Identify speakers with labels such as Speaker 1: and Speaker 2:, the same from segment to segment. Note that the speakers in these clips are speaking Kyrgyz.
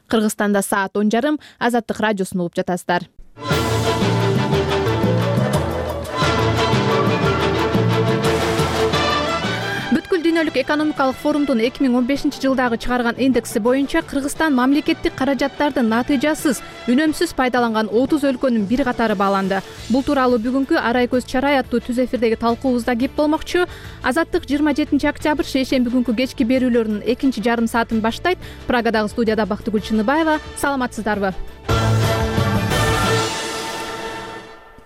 Speaker 1: Кыргызстанда саат 10:30. Азаттык радиосун угуп жатасыздар. Бүткүл дүйнөлүк экономикалык форумдун 2015-жылдагы чыгарган индекси боюнча Кыргызстан мамлекеттик каражаттардын натыйжасыз, үнөмсүз пайдаланган 30 өлкөнүн бир катары бааланды. Бул тууралуу бүгүнкү Арай көз чарай аттуу түз эфирдеги талкуубузда кеп болмокчу. Азаттык 27-октябрь шейшемби күнкү кечки берүүлөрүнүн экинчи жарым саатын баштайт. Прагадагы студияда Бактыгүл Чыныбаева. Саламатсыздарбы?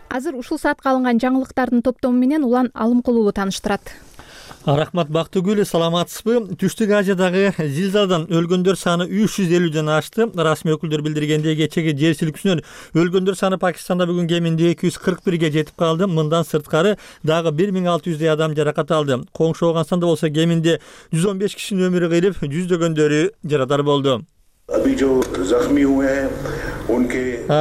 Speaker 1: Азыр ушул саатка алынган жаңылыктардын топтому менен Улан Алымкулуу тааныштырат.
Speaker 2: Рахмат Бактыгүл, саламатсызбы? Түштүк Азиядағы зилзаладан өлгөндөр саны 350ден ашты. Расмий өкүлдөр билдиргендей, кечеги жер силкүүсүнөн өлгөндөр саны Пакистанда бүгүн кеминде 241ге жетип калды. Мындан сырткары дагы 1600 адам жаракат алды. Коңшу Ооганстанда болсо кеминде 115 кишинин өмүрү кыйылып, жүздөгөндөрү жарадар болду.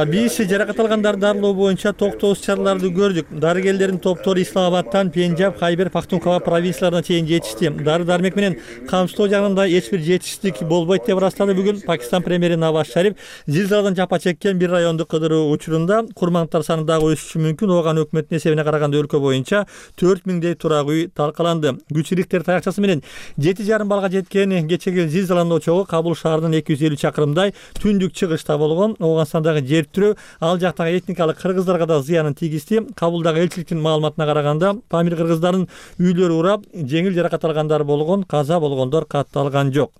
Speaker 2: Биз жаракат алгандарды дарылоо боюнча токтогуз чараларды көрдүк. Дарыгерлердин топтору Исламабадтан Пенджаб, Хайбер, Пахтунхва провинцияларына чейин жетишти. Дары-дармек менен камсыздоо жагында эч бир жетишсиздик болбойт деп ырастады бүгүн Пакистан премьери Наваз Шариф. Зилзаладан жапа чеккен бир районду кыдыруу учурунда курмандыктар саны дагы өсүшү мүмкүн. Ооган өкмөттүн эсебине караганда өлкө боюнча 4000дей турак үй талкаланды. Күч Рихтер таякчасы менен 7,5 балга жеткен кечеги зилзаланын очогу Кабул шаарынан 250 чакырымдай түндүк чыгышта болгон. Ооганстандагы жер тирөө ал жактагы этникалык кыргыздарга да зыянын тийгизди. Кабулдагы элчиликтин маалыматына караганда, Памир кыргыздардын үйлөрү урап, жеңил жаракат алгандар болгон, каза болгондор катталган жок.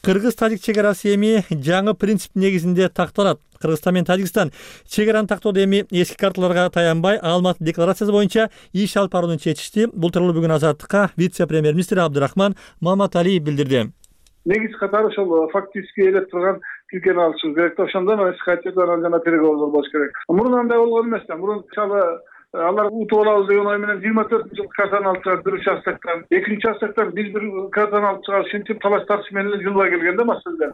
Speaker 2: Кыргыз-тажик чегарасы эми жаңы принцип негизинде такталат. Кыргызстан менен Тажикстан чегараны тактоодо эми эски карталарга таянбай, Алматы декларациясы боюнча иш алып барууну чечишти. Бул тууралуу бүгүн Азаттыкка вице-премьер-министр Абдырахман Маматалиев билдирди.
Speaker 3: Негиз катары ошол фактически элеп турган тилкени алышыбыз керек. Ошондон эскативден жана переговордор болуш керек. Мурун андай болгон эмес да. Мурун алар утуп алабыз деген ой менен 24-жылкы картаны алып чыгып, бир участоктон, экинчи участоктон биз бир картаны алып чыгып, ушинтип талаш тартыш менен жылбай келгенде маселе.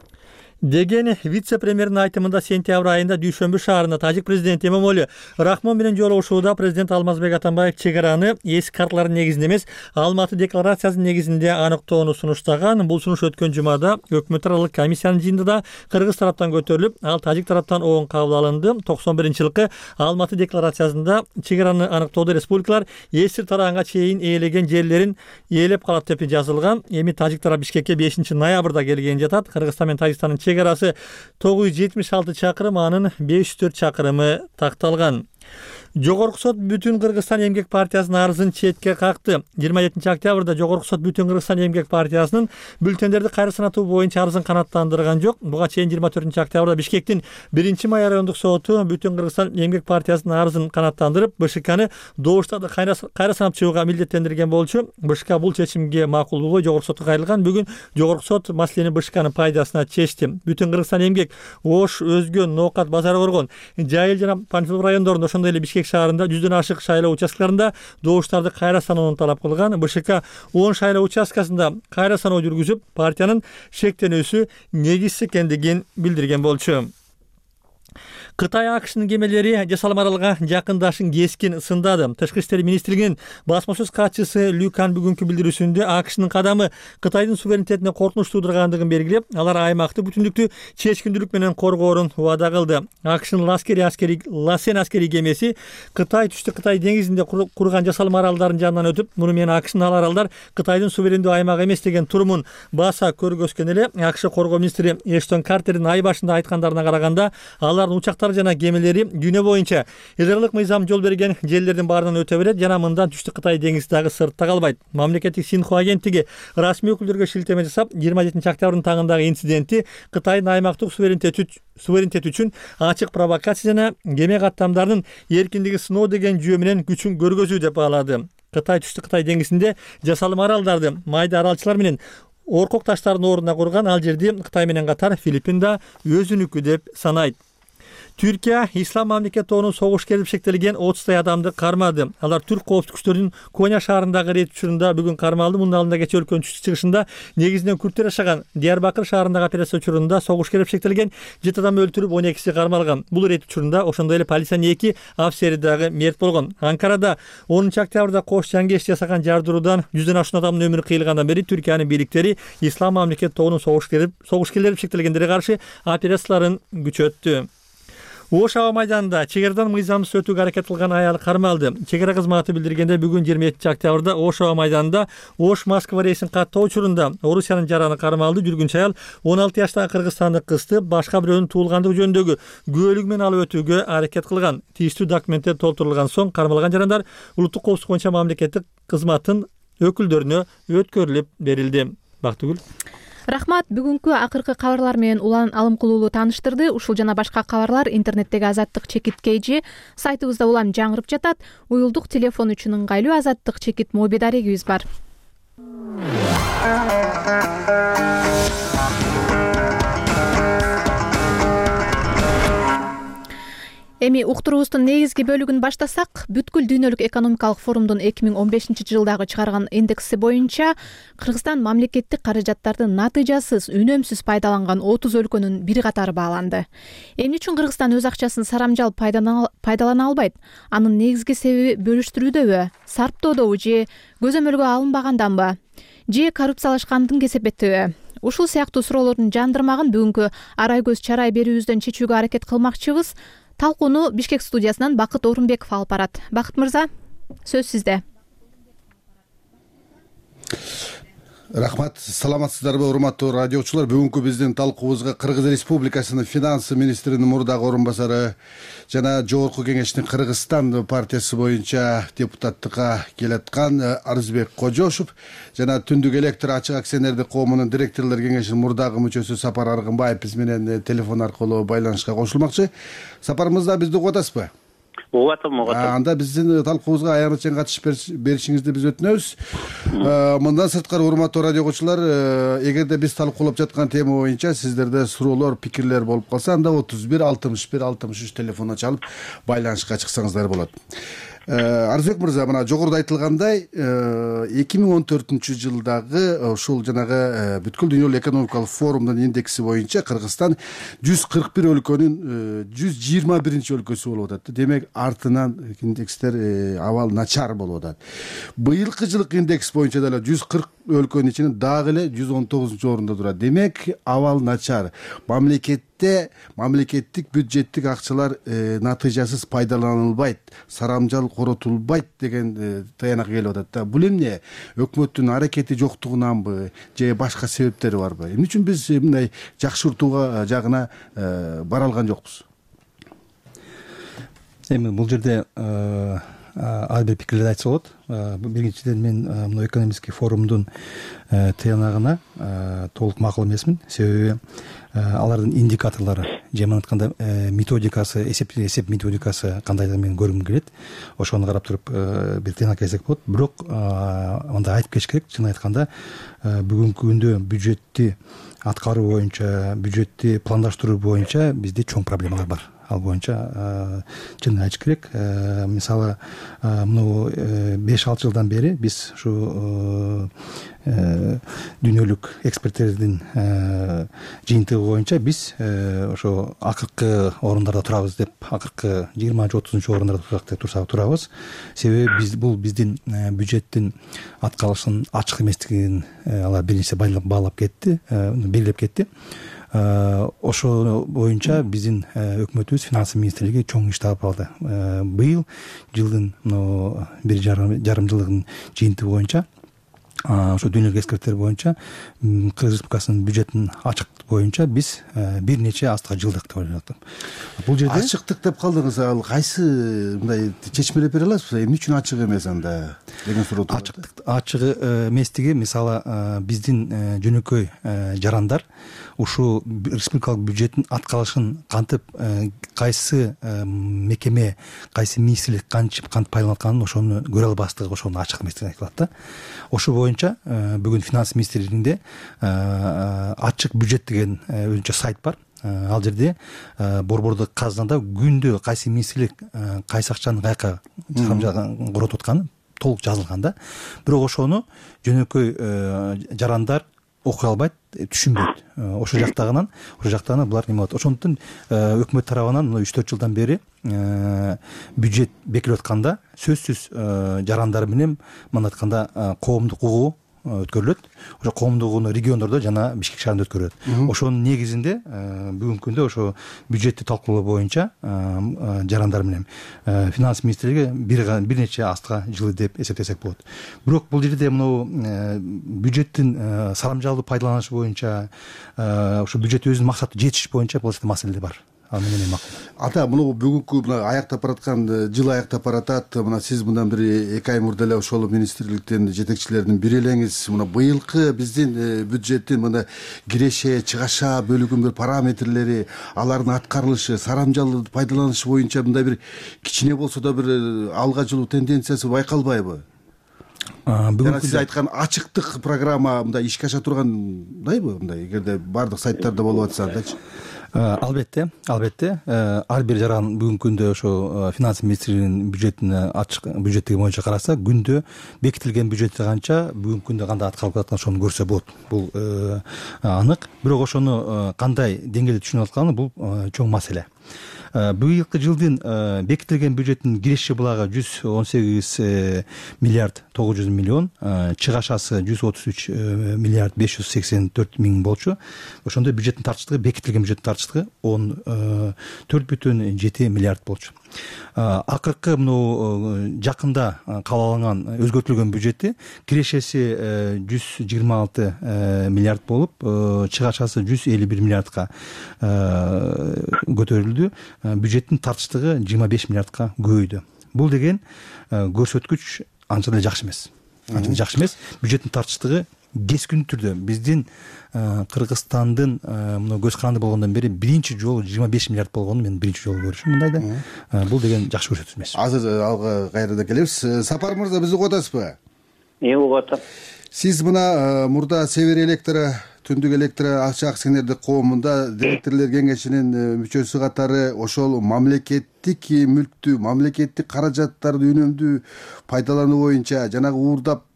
Speaker 2: Деген вице-премьердин айтымында сентябрь айында Дүйшөмбү шаарында тажик президенти Эмомали Рахмон менен жолугушууда президент Алмазбек Атамбаев чегараны эски карталардын негизинде эмес, Алматы декларациясынын негизинде аныктоону сунуштаган. Бул сунуш өткөн жумада өкмөт аралык комиссиянын жыйынында да кыргыз тараптан көтөрүлүп, ал тажик тараптан оң кабыл алынды. 91-жылкы Алматы декларациясында чегараны аныктоодо республикалар эсир тараганга чейин ээлеген жерлерин ээлеп калат деп жазылган. Эми тажик тарап Бишкекке 5-ноябрда келген жатат. Кыргызстан менен Тажикстандын чегарасы 976 чакырым, анын 504 чакырымы такталган. Жогорку сот Бүтүн Кыргызстан эмгек партиясынын арызын четке какты. 27-октябрда Жогорку сот Бүтүн Кыргызстан эмгек партиясынын бюллетендерди кайра санатуу боюнча арызын канааттандырган жок. Буга чейин 24-октябрда Бишкектин 1-май райондук соту Бүтүн Кыргызстан эмгек партиясынын арызын канааттандырып, БШКны добуштарды кайра санап чыгууга милдеттендирген болчу. БШК бул чечимге макул болбой Жогорку сотко кайрылган. Бүгүн Жогорку сот маселени БШКнын пайдасына чечти. Бүтүн Кыргызстан эмгек Ош, Өзгөн, Ноокат, Базар Коргон, Жайыл жана Панфилов райондорунда, ошондой эле Бишкек шаарында 100дөн ашык шайлоо участкаларында добуштарды кайра саноону талап кылган. БШК 10 шайлоо участкасында кайра саноо жүргүзүп, партиянын шектенүүсү негизсиз экендигин билдирген болчу. Кытай АКШнын кемелери жасалма аралга жакындашын кескин сындады. Тышкы иштер министрлигинин басма сөз катчысы Люкан бүгүнкү билдирүүсүндө АКШнын кадамы Кытайдын суверенитетине коркунуч туудургандыгын белгилеп, алар аймактык бүтүндүктү чечкиндүүлүк менен коргоорун убада кылды. АКШнын Ласен аскерий кемеси Кытай түштүк Кытай деңизинде курган жасалма аралдардын жанынан өтүп, муну менен АКШнын ал аралдар Кытайдын суверендүү аймагы эмес деген турумун баса көргөзгөн эле. АКШ коргоо министри Эштон Картердин ай башында айткандарына караганда, алардын учактары жана кемелери дүйнө боюнча ыдырырлык мыйзам жол берген жерлердин баарынан өтө берет жана мындан түштүк Кытай деңизи дагы сыртта калбайт. Мамлекеттик Синхуа агенттиги расмий өкүлдөргө шилтеме жасап, 27-октябрдын таңындагы инцидентти Кытайдын аймактык суверенитет үчүн ачык провокация жана кеме каттамдарынын эркиндиги сыноо деген жүйө менен күчүн көргөзүү деп баалады. Кытай түштүк Кытай деңизинде жасалма аралдарды майда аралчылар менен оркок таштардын ордуна курган. Ал жерди Кытай менен катар Филиппин да өзүнүкү деп санайт. Түркия Ислам мамлекет тобунун согуш керип шектелген 30 адамды кармады. Алар түрк коопсуздук күчтөрүнүн Коня шаарындагы рейд учурунда бүгүн кармалды. Мунун алдында кечээ өлкөнүн чыгышында негизинен күрттөр жашаган Диярбакыр шаарындагы операция учурунда согуш керип шектелген 7 адам өлтүрүп, 12си кармалган. Бул рейд учурунда ошондой эле полициянын 2 офицери дагы мерт болгон. Анкарада 10 октябрда кош жаңгеш жасаган жардыруудан 100дөн ашуун адамдын өмүрү кыйылгандан бери Түркиянын бийликтери Ислам мамлекет тобунун согушкерлери шектелгендерге каршы операцияларын күчөттү. Ош аба майданында чек арадан мыйзамсыз өтүүгө аракет кылган аял кармалды. Чек ара кызматы билдиргенде бүгүн 27 октябрда Ош аба майданында Ош Москва рейсин каттоо учурунда Орусиянын жараны кармалды. Жүргүнчү аял 16 жаштагы кыргызстандык кызды башка бирөөнүн туулгандыгы жөнүндөгү күбөлүгү менен алып өтүүгө аракет кылган. Тийиштүү документтер толтурулган соң кармалган жарандар улуттук коопсуздук боюнча мамлекеттик кызматтын өкүлдөрүнө өткөрүлүп берилди. Бактыгүл.
Speaker 1: Рахмат, бүгүнкү акыркы кабарлар менен улан алым кылуулу тааныштырды. Ушул жана башка кабарлар интернеттеги Азаттык чекит KG сайтыбызда улам жаңырып жатат. Уюлдук телефон үчүн ыңгайлуу Азаттык чекит моби дарегибиз бар. Эми уктуруубуздун негизги бөлүгүн баштасак, бүткүл дүйнөлүк экономикалык форумдун 2015-жылдагы чыгарган индекси боюнча Кыргызстан мамлекеттик каражаттарды натыйжасыз, үнөмсүз пайдаланган 30 өлкөнүн бир катары бааланды. Эмне үчүн Кыргызстан өз акчасын сарамжал пайдалана албайт? Анын негизги себеби бөлүштүрүүдөбү, сарптоодобу же көзөмөлгө алынбаганданбы? Же коррупциялашкандын кесепеттеби? Ушул сыяктуу суроолордун жандырмагын бүгүнкү арай көз чарай берүүбүздөн чечүүгө аракет кылмакчыбыз. Талкууну Бишкек студиясынан Бакыт Орунбеков алып барат. Бакыт мырза, сөз сизде.
Speaker 4: Рахмат, саламатсыздарбы урматтуу радиочулар. Бүгүнкү биздин талкуубузга Кыргыз Республикасынын финансы министринин мурдагы орун басары жана Жогорку Кеңештин Кыргызстан партиясы боюнча депутаттыкка келаткан Арызбек Кожошов жана Түндүк электр ачык акционердик коомунун директорлор кеңешинин мурдагы мүчөсү Сапар Аргынбаев биз менен телефон аркылуу байланышка кошулмакчы. Сапар мырза, бизди угуп атасызбы?
Speaker 5: Угуп атам.
Speaker 4: Анда биздин талкуубузга аянычан катышып беришиңизди биз өтүнөбүз. Мындан сырткары урматтуу радиогочулар, эгерде биз талкуулап жаткан тема боюнча сиздерде суроолор, пикирлер болуп калса, анда 31 61 63 телефонуна чалып байланышка чыксаңыздар болот. Арызбек мырза, мына жогоруда айтылгандай 2014-жылдагы ушул жанагы бүткүл дүйнөлүк экономикалык форумдун индекси боюнча Кыргызстан 141 өлкөнүн 121-өлкөсү болуп атат. Демек артынан индекстер абал начар болуп атат. Быйылкы жылкы индекс боюнча деле 140 өлкөнүн ичинен дагы эле 119-орунда турат. Демек абал начар. Мамлекеттик бюджеттик акчалар натыйжасыз пайдаланылбайт, сарамжал коротулбайт деген таянак келип атат да. Бул эмне? Өкмөттүн аракети жоктугунанбы же башка себептери барбы? Эмне үчүн биз мындай жакшыртууга жагына бара алган жокпуз?
Speaker 6: Эми бул жерде ар бир пикирлерди айтса болот. Биринчиден мен мына экономический форумдун тыянагына толук макул эмесмин. Себеби алардын индикаторлору, жаман айтканда методикасы, эсеп методикасы кандайдыр мен көргүм келет. Ошону карап туруп бир тыянак келсек болот. Бирок мындай айтып кетиш керек, чын айтканда бүгүнкү күндө бюджетти аткаруу боюнча, бюджетти пландаштыруу боюнча бизде чоң проблемалар бар. Ал боюнча чын айтыш керек. Мисалы, мына 5-6 жылдан бери биз ушу дүйнөлүк эксперттердин жыйынтыгы боюнча биз ошо акыркы орундарда турабыз деп, акыркы 20-30-орундарда турабыз. Себеби бул биздин бюджеттин аткарылышынын ачык эместигин алар биринчи баалап кетти, белгилеп кетти. Ошо боюнча биздин өкмөтүбүз, финансы министрлиги чоң иш алып алды. Быйыл жылдын 1,5 жылдыгынын жыйынтыгы боюнча ошо дүйнөлүк эксперттер боюнча Кыргыз Республикасынын бюджетин ачыктык боюнча биз бир нече астыга жылдык деп ойлоп атам. Бул жерде
Speaker 4: ачыктык деп калдыңыз. Ал кайсы мындай чечмелеп бере аласызбы? Эмне үчүн ачык эмес анда деген суроо турат.
Speaker 6: Ачык эместиги, мисалы, биздин жөнөкөй жарандар ушул республикалык бюджеттин аткарылышын кантип, кайсы мекеме, кайсы министрлик кантип пайдаланып атканын ошону көрө албастыгы, ошону ачык эместигин айтылат да. Ошо боюнча бүгүн финанс министрлигинде ачык бюджет деген өзүнчө сайт бар. Ал жерде борбордук казынада күндө кайсы министрлик кайсы акчаны каяка коротуп атканы толук жазылган да. Бирок ошону жөнөкөй жарандар окуй албайт, түшүнбөйт. Ошол жактагынан булар неме болот. Ошондуктан өкмөт тарабынан 3-4 жылдан бери бюджет бекилип атканда сөзсүз жарандар менен мындай айтканда коомдук угуу өткөрүлөт. Ошо коомдук угууну региондордо жана Бишкек шаарында өткөрүлөт. Ошонун негизинде бүгүнкү күндө ошо бюджетти талкуулоо боюнча жарандар менен финанс министрлиги бир нече астка жылы деп эсептесек болот. Бирок бул жерде мынау бюджеттин сарамжалдуу пайдаланышы боюнча ошо бюджет өзүнүн максаты жетиш боюнча бул маселе бар. Менен макул.
Speaker 4: Ата, мына бүгүнкү мына аяктап бараткан жыл аяктап баратат. Мына сиз мындан бир 2 ай мурда эле ошол министрликтин жетекчилеринин бири элеңиз мына быйылкы биздин бюджеттин мына киреше, чыгаша бөлүгүнүн бир параметрлери, алардын аткарылышы, сарамжалдуу пайдаланышы боюнча мындай бир кичине болсо да бир алга жылуу тенденциясы байкалбайбы? Бүгүн сиз айткан ачыктык программа мындай ишке аша тургандайбы? Мындай эгерде бардык сайттарда болуп атса андайчы.
Speaker 6: Албетте ар бир жаран бүгүнкү күндө ошо финанс министрлигинин бюджетин ачык бюджеттиги боюнча караса, күндө бекитилген бюджети канча, бүгүнкү күндө кандай аткарылып атканын ошону көрсө болот. Бул анык. Бирок ошону кандай деңгээлде түшүнүп атканы бул чоң маселе. Быйылкы жылдын бекитилген бюджеттин киреше булагы 118 миллиард 900 миллион, чыгашасы 133 миллиард 584 миң болчу. Ошондо бюджеттин тартыштыгы, бекитилген бюджеттин тартыштыгы 14,7 миллиард болчу. Акыркы мына жакында кабыл алынган өзгөртүлгөн бюджетти кирешеси 126 миллиард болуп, чыгашасы 151 миллиардка көтөрүлдү. Бюджеттин тартыштыгы 25 миллиардка көбөйдү. Бул деген көрсөткүч анча деле жакшы эмес. Бюджеттин тартыштыгы кескиндүү түрдө биздин Кыргызстандын мына көз каранды болгондон бери биринчи жолу 25 миллиард болгонун мен биринчи жолу көрүшүм мындайда. Бул деген жакшы көрсөткүч эмес.
Speaker 4: Азыр алга кайрадан келебиз. Сапар мырза, бизди угуп атасызбы?
Speaker 5: Угуп атам.
Speaker 4: Сиз мына мурда Север электро, Түндүк электро акча акционердик коомунда директорлор кеңешинин мүчөсү катары ошол мамлекеттик мүлктү, мамлекеттик каражаттарды үнөмдүү пайдалануу боюнча, жанагы уурдап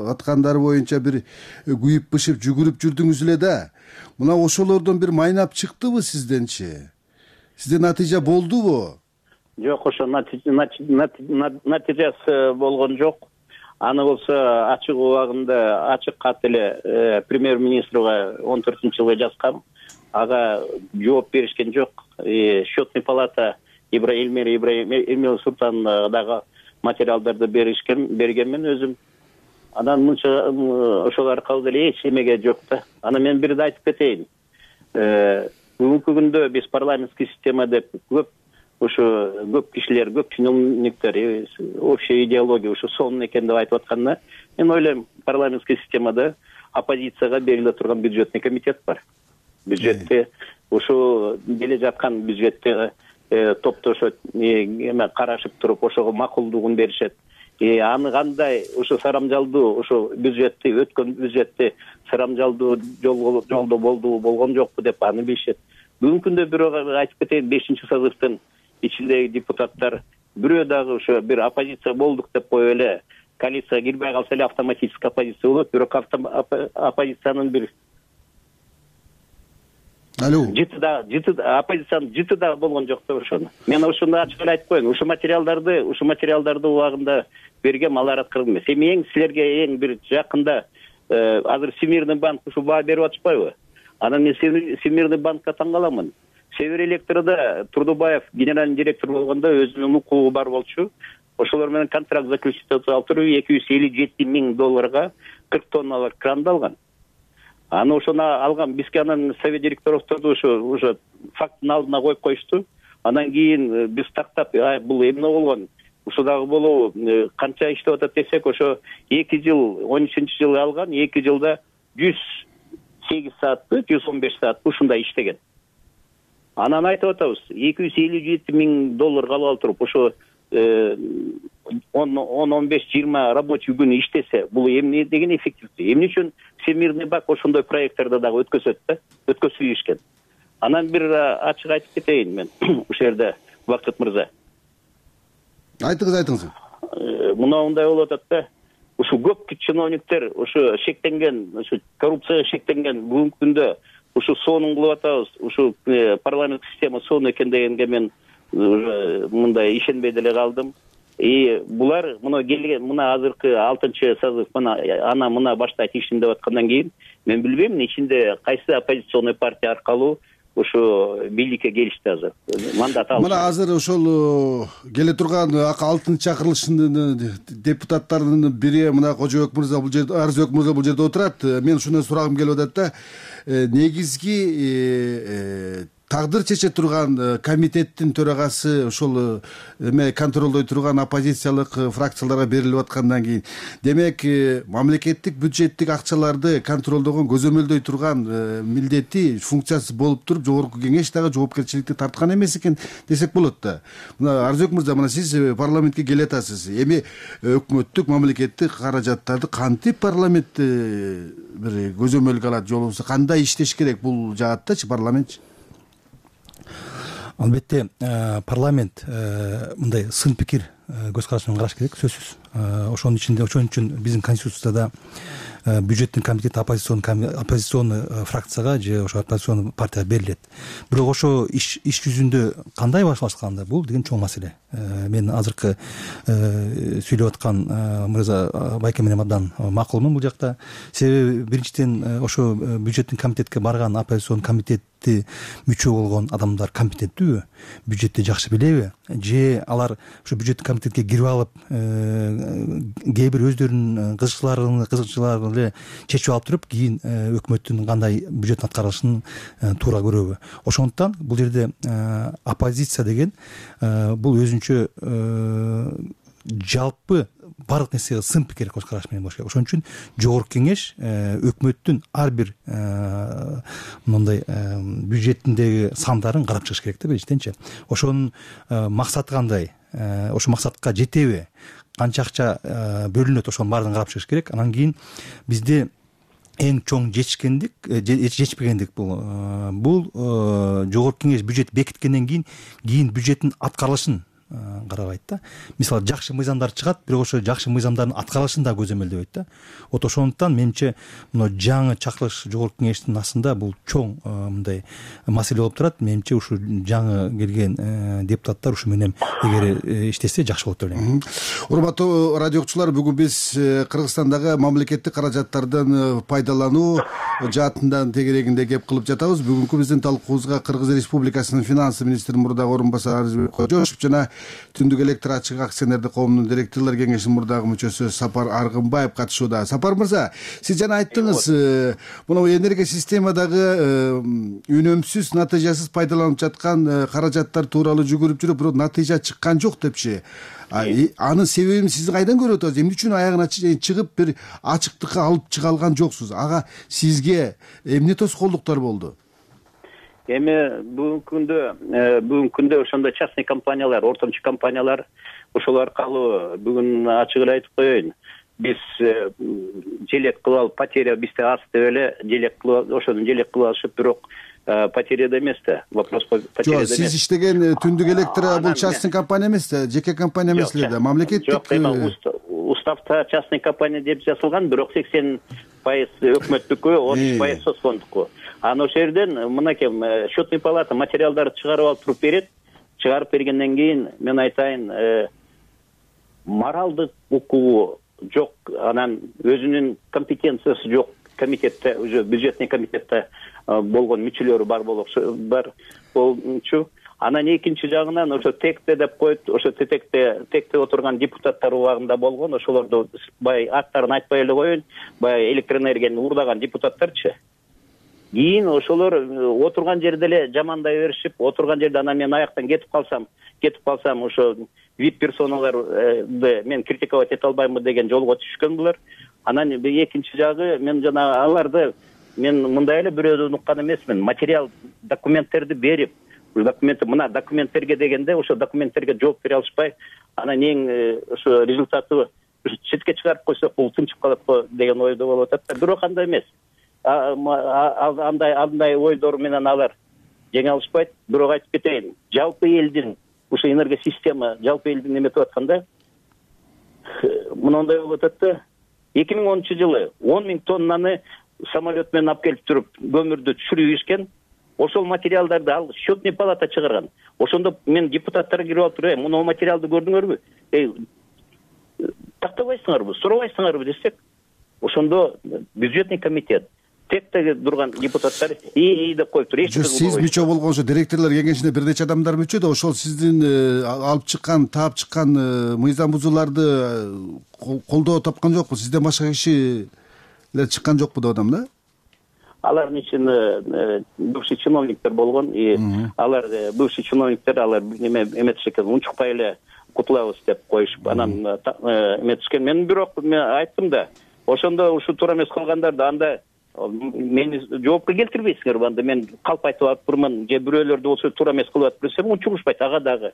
Speaker 4: аткандар боюнча бир күйүп бышып жүгүрүп жүрдүңүз эле да. Мына ошолордон бир майнап чыктыбы сизденчи? Сизде натыйжа болдубу?
Speaker 5: Жок, ошо натыйжасы болгон жок. Аны болсо ачык убагында ачык кат эле премьер-министрга 14-жылы жазгам. Ага жооп беришкен жок. Счетный палата Эльмира Ибраимова Султановна дагы материалдарды бергенмен өзүм. Анан мынча ошол аркылуу деле эч эмеге жок да. Аны мен бирде айтып кетейин. Бүгүнкү күндө биз парламенттик система деп көп кишилер, көп чиновниктер, общая идеология ушу сонун экен деп айтып атканда, мен ойлойм, парламенттик системада оппозицияга бериле турган бюджетный комитет бар. Бюджетте ушу келе жаткан бюджетте топтошот, карашып туруп ошого макулдугун беришет. Аны кандай ушу сарамжалдуу ушу бюджетти, өткөн бюджетти сарамжалдуу жолдо болдубу, болгон жокпу деп аны билишет. Бүгүнкү күндө бирок айтып кетейин, 5-созывдын ичиндеги депутаттар бирөө дагы ошо бир оппозиция болдук деп коюп эле коалицияга кирбей калса эле автоматический оппозиция болот. Бирок оппозициянын бир оппозициянын жыты да болгон жок деп ошону. Мен ушуну ачык эле айтып коеюн. Ушу материалдарды убагында бергем, алар аткарып эмес. Эми силерге эң бир жакында азыр Всемирный банк ушу баа берип атышпайбы? Анан мен Всемирный банкка таң каламын. Север электрода Турдубаев генеральный директор болгондо өзүнүн укугу бар болчу. Ошолор менен контракт заключить алып туруп $257 миң 40 тонналар кранды алган. Аны ошону алган, бизге анан совет директорлорду ошо факттын алдына коюп коюшту. Анан кийин биз тактап, бул эмне болгон? Ушу дагы болобу? Канча иштеп атат десек, ошо 2 жыл, 13-жылы алган, 2 жылда 108 саатты, 115 саат ушундай иштеген. Анан айтып атабыз, $257 миң алып туруп, ошо 10-15-20 рабочий күн иштесе, бул эмне деген эффективдүү? Эмне үчүн Всемирный банк ошондой проекттарды дагы өткөзөт да, өткөзүп ийишкен. Анан бир ачык айтып кетейин мен ушул жерде, Бакыт мырза.
Speaker 4: Айтыңыз.
Speaker 5: Мындай болуп атат да. Ушу көп чиновниктер ушу шектенген, ушу коррупцияга шектенген бүгүнкү күндө ушу сонун кылып атабыз. Ушу парламент система сонун экен дегенге мен мындай ишенбей деле калдым. Булар мына азыркы 6-созыв мына баштайт ишин деп аткандан кийин мен билбейм ичинде кайсы оппозиционный партия аркылуу ушу бийликке келишти азыр. Мандат алды.
Speaker 4: Мына азыр ошол келе турган 6 чакырылыштын депутаттарынын бири мына Кожобек мырза бул жерде, Арызбек мырза бул жерде отурат. Мен ушундай сурагым келип атат да. Негизги тагдыр чече турган комитеттин төрагасы ошол контролдой турган оппозициялык фракцияларга берилип аткандан кийин, демек мамлекеттик бюджеттик акчаларды контролдогон, көзөмөлдөй турган милдети, функциясы болуп туруп, жогорку кеңеш дагы жоопкерчиликти тарткан эмес экен десек болот да. Мына Арызбек мырза, мына сиз парламентке келе атасыз. Эми өкмөттүк, мамлекеттик каражаттарды кантип парламент бир көзөмөлгө алат, же болбосо кандай иштеш керек бул жааттачы парламентчи?
Speaker 6: Албетте парламент мындай сын пикир көз караш менен караш керек, сөзсүз. Ошон үчүн биздин конституцияда бюджеттин комитети оппозиционный фракцияга же ошо оппозиционный партияга берилет. Бирок ошо иш жүзүндө кандай башталганда бул деген чоң маселе. Мен азыркы сүйлөп аткан мырза Байке менен абдан макулмун бул жакта. Себеби биринчиден ошо бюджеттин комитетке барган оппозицион комитетти мүчө болгон адамдар компетенттүүбү, бюджетти жакшы билеби, же алар ошо бюджеттик комитетке кирип алып кээ бир өздөрүнүн кызыкчылыгын эле чечип алып туруп, кийин өкмөттүн кандай бюджеттин аткарылышын туура көрөбү. Ошондуктан бул жерде оппозиция деген бул өзүнчө жалпы баардык нерсеге сын пикир көз караш менен болуш керек. Ошон үчүн жогорку кеңеш өкмөттүн ар бир мындай бюджетиндеги сандарын карап чыгыш керек да, биринчиденчи. Ошонун максаты кандай, ошол максатка жетеби, канча акча бөлүнөт, ошонун баардыгын карап чыгыш керек. Анан кийин бизде эң чоң жетишпегендик бул жогорку кеңеш бюджет бекиткенден кийин бюджеттин аткарылышын карабайт да. Мисалы жакшы мыйзамдар чыгат, бирок ошо жакшы мыйзамдардын аткарылышын да көзөмөлдөбөйт да. Ошондуктан менимче мына жаңы чакырылыш жогорку кеңештин астында бул чоң мындай маселе болуп турат. Менимче ушу жаңы келген депутаттар ушу менен эгер иштесе жакшы болот деп ойлойм.
Speaker 4: Урматтуу радио окуучулар, бүгүн биз Кыргызстандагы мамлекеттик каражаттардын пайдалануу жаатынан тегерегинде кеп кылып жатабыз. Бүгүнкү биздин талкуубузга Кыргыз Республикасынын финансы министринин мурдагы орун басары Арызбек Кожошев жана Түндүк электр ачык акционердик коомунун директорлор кеңешинин мурдагы мүчөсү Сапар Аргынбаев катышууда. Сапар мырза, сиз жана айттыңыз, мына энергия системадагы үнөмсүз, натыйжасыз пайдаланып жаткан каражаттар тууралуу жүгүрүп жүрүп, бирок натыйжа чыккан жок депчи. Анын себебин сиз кайдан көрүп атасыз? Эмне үчүн аягына чыгып бир ачыктыкка алып чыга алган жоксуз? Ага сизге эмне тоскоолдуктар болду?
Speaker 5: Эми бүгүнкү күндө ошондой частный компаниялар, ортомчу компаниялар, ошол аркылуу бүгүн ачык эле айтып коеюн. Биз желек кылып алып, потеря бизде аз деп эле желек кылып, ошону желек кылып алышып, бирок потеряда эмес да. Вопрос потеряда эмес.
Speaker 4: Сиз иштеген Түндүк электр бул частный компания эмес да, жеке компания эмес эле да, мамлекеттик.
Speaker 5: Жок, уставта частный компания деп жазылган, бирок 80% өкмөттүкү, 30% соцфонддуку. Аны ошол жерден мынакей счетный палата материалдарды чыгарып алып туруп берет. Чыгарып бергенден кийин мен айтайын, моралдык укугу жок, анан өзүнүн компетенциясы жок комитетте, уже бюджетный комитетте болгон мүчөлөрү бар болчу. Анан экинчи жагынан ошо текте деп коет, ошо текте отурган депутаттар убагында болгон, ошолорду баягы аттарын айтпай эле коеюн, баягы электроэнергияны уурдаган депутаттарчы. Кийин ошолор отурган жерде эле жамандай беришип, отурган жерде анан мен аяктан кетип калсам ошо вип персоналарды мен критиковать эте албаймын деген жолго түшкөн булар. Анан экинчи жагы, мен жана аларды мен мындай эле бирөөдөн уккан эмесмин. Материал документтерди берип, мына документтерге дегенде ошо документтерге жооп бере алышпай, анан эң ошо результаты четке чыгарып койсок бул тынчып калат го деген ойдо болуп атат да. Бирок андай эмес. Андай ойдор менен алар жаңылышпайт. Бирок айтып кетейин, жалпы элдин ушу энергосистема жалпы элдин эметип атканда мындай болуп атат да. 2010-жылы 10 000 тоннаны самолет менен алып келип туруп көмүрдү түшүрүп ийишкен. Ошол материалдарды ал счетный палата чыгарган. Ошондо мен депутаттар кирип алып туруп, мына материалды көрдүңөрбү? Тактабайсыңарбы, сурабайсыңарбы десек, ошондо бюджетный комитет тектеги турган депутаттар деп коюп туруп.
Speaker 4: Сиз мүчө болгон ошо директорлор кеңешине бир нече адамдар мүчө да, ошол сиздин алып чыккан, таап чыккан мыйзам бузууларды колдоо тапкан жокпу? Сизден башка кишилер чыккан жокпу деп атам да?
Speaker 5: Алардын ичинде бывший чиновниктер болгон, алар бывший чиновниктер алар эметишкен, унчукпай эле кутулабыз деп коюшуп, анан эметишкен. Мен бирок айттым да, ошондо ушу туура эмес кылгандарды анда мени жоопко келтирбейсиңерби? Анда мен калп айтып атпырмын, же бирөөлөрдү болсо туура эмес кылып атып берсем, унчугушпайт ага дагы.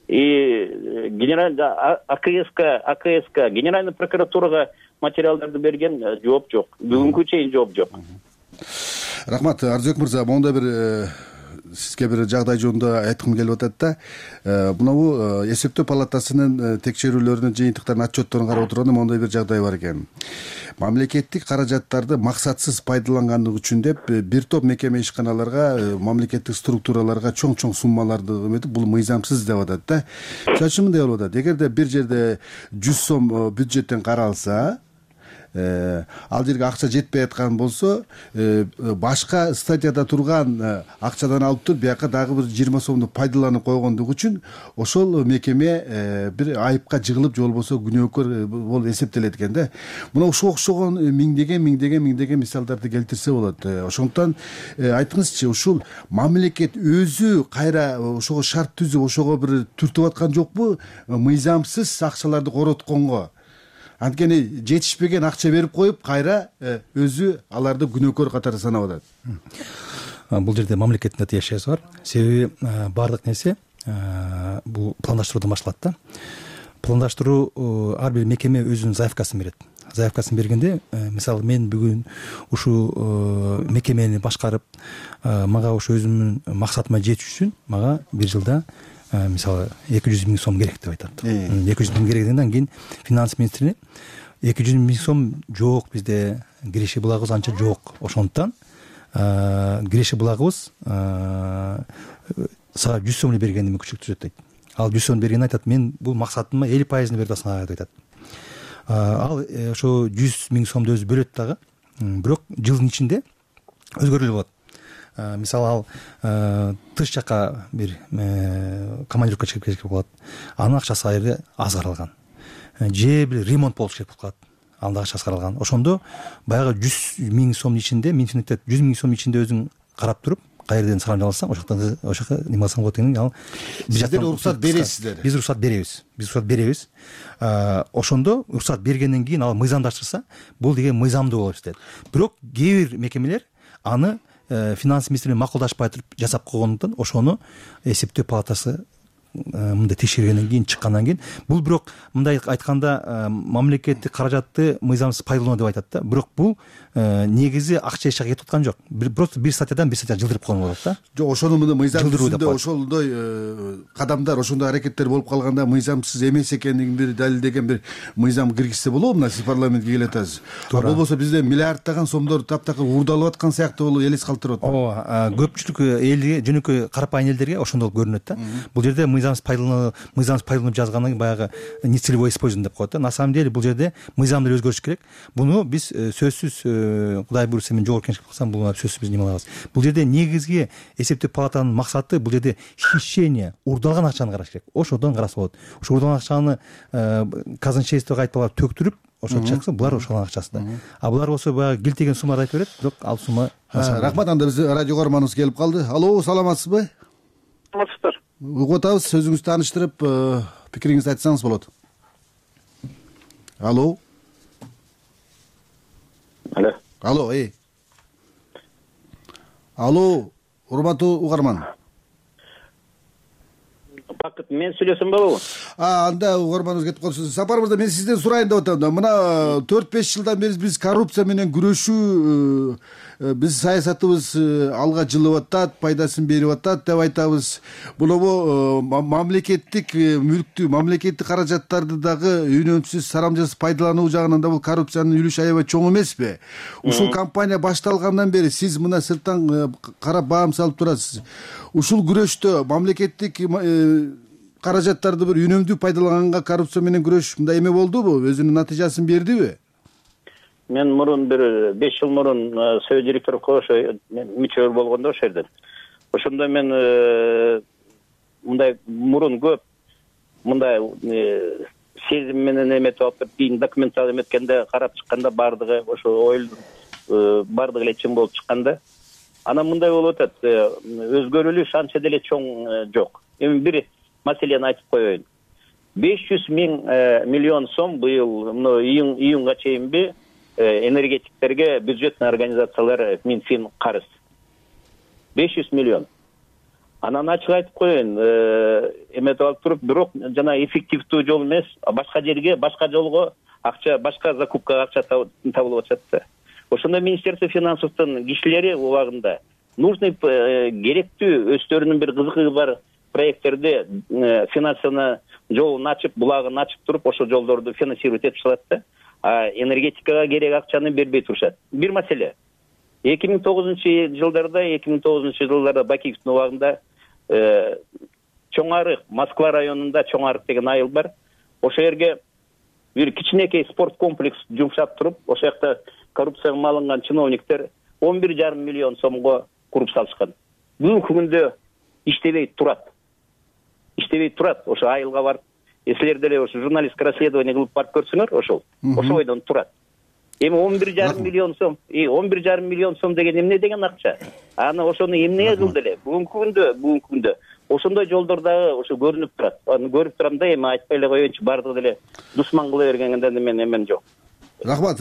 Speaker 5: Генеральный АКСК, генеральный прокуратурага материалдарды берген, жооп жок. Бүгүнкү чейин жооп жок.
Speaker 4: Рахмат, Арзыбек мырза, мондай бир сизге бир жагдай жөнүндө айткым келип атат да. Мынабу эсептөө палатасынын текшерүүлөрүнүн жыйынтыктарын, отчетторун карап отурганда мондай бир жагдай бар экен. Мамлекеттик каражаттарды максатсыз пайдалангандык үчүн деп бир топ мекеме ишканаларга, мамлекеттик структураларга чоң суммаларды эметип, бул мыйзамсыз деп атат да. Мисалы үчүн мындай болуп атат. Эгерде бир жерде 100 сом бюджеттен каралса, ал жерге акча жетпей аткан болсо, башка статьяда турган акчадан алып туруп, бияка дагы бир 20 сомду пайдаланып койгондук үчүн ошол мекеме бир айыпка жыгылып, же болбосо күнөөкөр болуп эсептелет экен да. Мына ушуга окшогон миңдеген мисалдарды келтирсе болот. Ошондуктан айтыңызчы, ушул мамлекет өзү кайра ошого шарт түзүп, ошого бир түртүп аткан жокпу мыйзамсыз акчаларды коротконго? Анткени жетишпеген акча берип коюп, кайра өзү аларды күнөөкөр катары санап атат.
Speaker 6: Бул жерде мамлекеттин да тиешеси бар. Себеби баардык нерсе бул пландаштыруудан башталат да. Пландаштыруу ар бир мекеме өзүнүн заявкасын берет. Заявкасын бергенде, мисалы мен бүгүн ушу мекемени башкарып, мага ушу өзүмдүн максатыма жетиш үчүн мага бир жылда мисалы 200 000 сом керек деп айтат. 200 000 керек дегенден кийин финанс министри 200 000 сом жок, бизде киреше булагыбыз анча жок. Ошондуктан киреше булагыбыз сага 100 сом эле бергенди мүмкүнчүлүк түзөт дейт. Ал 100 сом бергенди айтат, мен бул максатыма 50% берип атасың деп айтат. Ал ошо 100 000 сомду өзү бөлөт дагы. Бирок жылдын ичинде өзгөрүлүп болот. Мисалы ал тыш жака бир командировка чыгып кеткен болот. Анын акчасы аябай аз каралган. Же бир ремонт болуш керек болуп калат. Анын да акчасы каралган. Ошондо баягы 100 000 сомдун ичинде, муниципалитет 100 000 сомдун ичинде өзүң карап туруп, каерден салам алсаң, ошока неме алсаң болот дегенин ал
Speaker 4: сиздер уруксат бересиздер.
Speaker 6: Биз уруксат беребиз. Ошондо уруксат бергенден кийин ал мыйзамдаштырса, бул деген мыйзамдуу болуп эсептелет. Бирок кээ бир мекемелер аны финанс министри макулдашпай туруп жасап койгондуктан ошону эсептөө палатасы мындай текшергенден кийин, чыккандан кийин, бул бирок мындай айтканда мамлекеттик каражатты мыйзамсыз пайдалануу деп айтат да. Бирок бул негизи акча эч жака кетип аткан жок. Просто бир статьядан бир статья жылдырып койгон болот да.
Speaker 4: Жок, ошону мына мыйзам түзүндө ошондой кадамдар, ошондой аракеттер болуп калганда мыйзамсыз эмес экендигин бир далилдеген бир мыйзам киргизсе болобу? Мына сиз парламентке келип атасыз. Болбосо бизде миллиарддаган сомдор таптакыр уурдалып аткан сыяктуу болуп элес калтырып атат.
Speaker 6: Ооба, көпчүлүк элге, жөнөкөй карапайым элдерге ошондой көрүнөт да. Бул жерде мыйзамсыз пайдаланып жазгандан кийин баягы нецелевой использование деп коет да. На самом деле бул жерде мыйзамды өзгөртүш керек. Буну биз сөзсүз, Кудай буйрса мен жогорку кеңешке кылсам, бул сөзсүз биз неме кылабыз. Бул жерде негизги эсептөө палатанын максаты бул жерде хищение, уурдалган акчаны караш керек. Ошодон караса болот. Ошо уурдалган акчаны казначействого кайтып түктүрүп, ошо чакса булар ошол акчасы да. А булар болсо баягы килтеген сумманы айтып берет, бирок ал сумма.
Speaker 4: Рахмат, анда биз радио көрөрманыбыз келип калды. Алло, саламатсызбы?
Speaker 5: Саламатсыздар.
Speaker 4: Угуп атабыз, сөзүңүздү тааныштырып, пикириңизди айтсаңыз болот. Алло. Алло, Алло, урматтуу угарман.
Speaker 5: Бакыт, мен сүйлөсөм болобу?
Speaker 4: анда угарманыбыз кетип калыпсыз. Сапар мырза, мен сизден сурайын деп атам да. Мына 4-5 жылдан бери биз коррупция менен күрөшүү, биз саясатыбыз алга жылып атат, пайдасын берип атат деп айтабыз. Бул мамлекеттик мүлктү, мамлекеттик каражаттарды дагы үнөмсүз, сарамжасыз пайдалануу жагынан да бул коррупциянын үлүшү аябай чоң эмеспи? Ушул кампания башталгандан бери сиз мына сырттан карап баам салып турасыз. Ушул күрөштө мамлекеттик каражаттарды бир үнөмдүү пайдаланганга коррупция менен күрөш мындай эме болдубу? Өзүнүн натыйжасын бердиби?
Speaker 5: Мен мурун бир 5 жыл мурун Совет директорлукка ошо мүчө болгондо ошол жерден. Ошондо мен мындай мурун көп мындай сезим менен эметип алып кийин документал эметкенде карап чыкканда баардыгы ошо оюлдун баардыгы эле чын болуп чыкканда, анан мындай болуп атат, өзгөрүлүш анча деле чоң жок. Эми бир маселени айтып коеюн. 500 миллион сом быйыл июнга чейинби энергетиктерге бюджетный организациялар Минфин карыз. 500 миллион. Анан ачык айтып коеюн, эметип алып туруп, бирок жана эффективдүү жол эмес, башка жерге, башка жолго акча, башка закупкага акча табылып атат да. Ошондо Министерство финансовдун кишилери убагында нужный керектүү өздөрүнүн бир кызыгы бар проекттерди финансовый жолун ачып, булагын ачып туруп, ошол жолдорду финансировать этип чыгат да. Энергетикага керек акчаны бербей турушат. Бир маселе. 2009-жылдарда Бакиевдин убагында Чоңарык, Москва районунда Чоңарык деген айыл бар. Ошол жерге бир кичинекей спорт комплекс жумшап туруп, ошол жакта коррупцияга малынган чиновниктер 11,5 миллион сомго куруп салышкан. Бүгүнкү күндө иштебей турат. Ошо айылга барып, силер деле ошо журналисттик расследование кылып барып көрсөңөр, ошол бойдон турат. Эми 11,5 миллион сом, 11,5 миллион сом деген эмне деген акча? Аны ошону эмнеге кылды эле? Бүгүнкү күндө ошондой жолдор дагы ошо көрүнүп турат. Аны көрүп турам да, эми айтпай эле коеюнчу, бардыгы деле душман кыла бергенде мен эмен жок.
Speaker 4: Рахмат.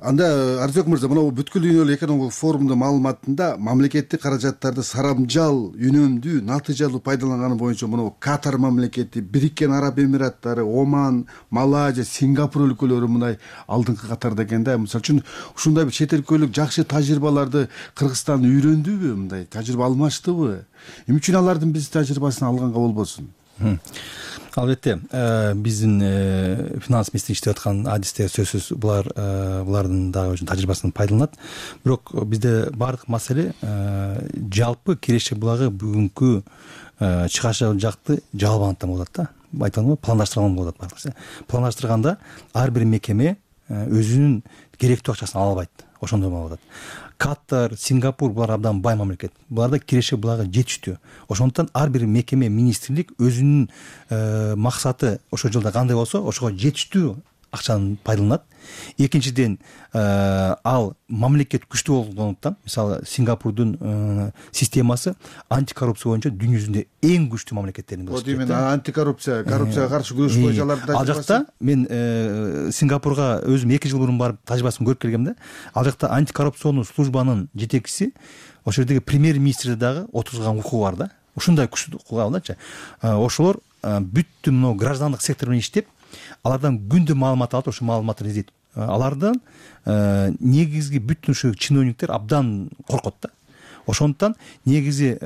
Speaker 4: Анда Арзек мырза, мына бүткүл дүйнөлүк экономикалык форумдун маалыматында мамлекеттик каражаттарды сарамжал, үнөмдүү, натыйжалуу пайдаланганы боюнча мына Катар мамлекети, Бириккен Араб Эмираттары, Оман, Малайзия, Сингапур өлкөлөрү мындай алдыңкы катарда экен да. Мисалы үчүн ушундай бир чет өлкөлүк жакшы тажрыйбаларды Кыргызстан үйрөндүбү, мындай тажрыйба алмаштыбы? Эмне үчүн алардын биз тажрыйбасын алганга болбосун?
Speaker 6: Албетте, биздин финанс министри иштеп аткан адистер сөзсүз булардын дагы өзүнүн тажрыйбасынан пайдаланат. Бирок бизде бардык маселе жалпы Кереше булагы бүгүнкү чыгаша жакты жалбанаттан болот да. Айткан пландаштырган болот бардыгы. Пландаштырганда ар бир мекеме өзүнүн керектүү акчасын ала албайт. Ошондой болуп атат. Катар, Сингапур булар абдан бай мамлекет. Буларда Кереше булагы жетиштүү. Ошондуктан ар бир мекеме, министрлик өзүнүн максаты ошол жылда кандай болсо, ошого жетиштүү акчаны пайдаланат. Экинчиден, ал мамлекет күчтүү болгондуктан, мисалы Сингапурдун системасы антикоррупция боюнча дүйнө жүзүндө эң күчтүү мамлекеттердин бирөө.
Speaker 4: Вот именно коррупцияга каршы күрөш боюнча алардын
Speaker 6: ал жакта мен Сингапурга өзүм 2 жыл мурун барып тажрыйбасын көрүп келгем да. Ал жакта антикоррупционный службанын жетекчиси ошол жердеги премьер-министрде дагы отурган укугу бар да. Ушундай күчтүү укугу алдачы. Ошолор бүттү мына граждандык сектор менен иштеп, алардан күндө маалымат алып, ошол маалыматты издейт. Алардан негизги бүттүн ушу чиновниктер абдан коркот да. Ошондуктан негизи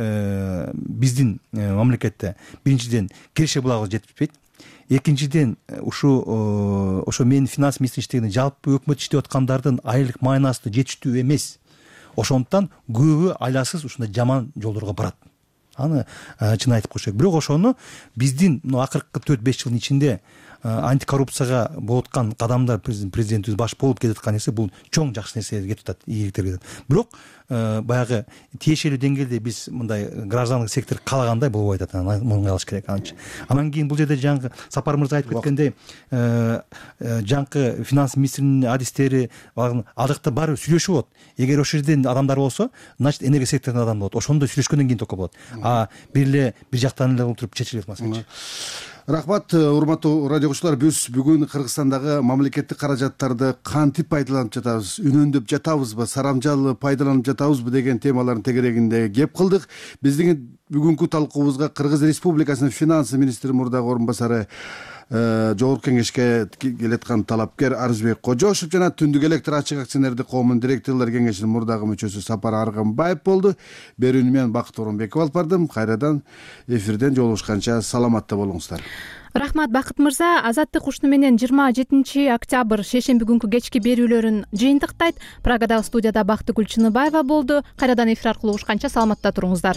Speaker 6: биздин мамлекетте биринчиден Кереше булагы жетишпейт. Экинчиден ошо менин финанс министри иштегенде жалпы өкмөт иштеп аткандардын айлык майнасы жетиштүү эмес. Ошондуктан көбү айласыз ушундай жаман жолдорго барат. Аны чын айтып коюш керек. Бирок ошону биздин акыркы 4-5 жылдын ичинде антикоррупцияга болуп аткан кадамдар президентибиз баш болуп кетаткан нерсе бул чоң жакшы нерселерге кетип атат, ийгиликтерге кетип атат. Бирок баягы тиешелүү деңгээлде биз мындай граждандык сектор каалагандай болбой атат. Муну алыш керек анча. Анан кийин бул жерде жаңы Сапар мырза айтып кеткендей, жаңкы финанс министринин адистери ал жакта баары сүйлөшүп болот. Эгер ошол жерден адамдар болсо, значит энергия секторунун адамы болот. Ошондой сүйлөшкөндөн кийин только болот. Бир жактан эле отуруп чечилет маселе.
Speaker 4: Рахмат, урматтуу радио угуучулар. Биз бүгүн Кыргызстандагы мамлекеттик каражаттарды кантип пайдаланып жатабыз, үнөндөп жатабызбы, сарамжал пайдаланып жатабызбы деген темалардын тегерегинде кеп кылдык. Биздин бүгүнкү талкуубузга Кыргыз Республикасынын финанс министри мурдагы орун басары, Жогорку Кеңешке келаткан талапкер Арызбек Кожошев жана Түндүк электр ачык акционердик коомунун директорлор кеңешинин мурдагы мүчөсү Сапар Арганбаев болду. Берүүнү мен Бакыт Орунбеков алып бардым. Кайрадан эфирден жолугушканча саламатта болуңуздар.
Speaker 1: Рахмат Бакыт мырза. Азаттык ушуну менен 27 октябрь шейшемби күнкү кечки берүүлөрүн жыйынтыктайт. Прагадагы студияда Бактыгүл Чыныбаева болду. Кайрадан эфир аркылуу угушканча саламатта туруңуздар.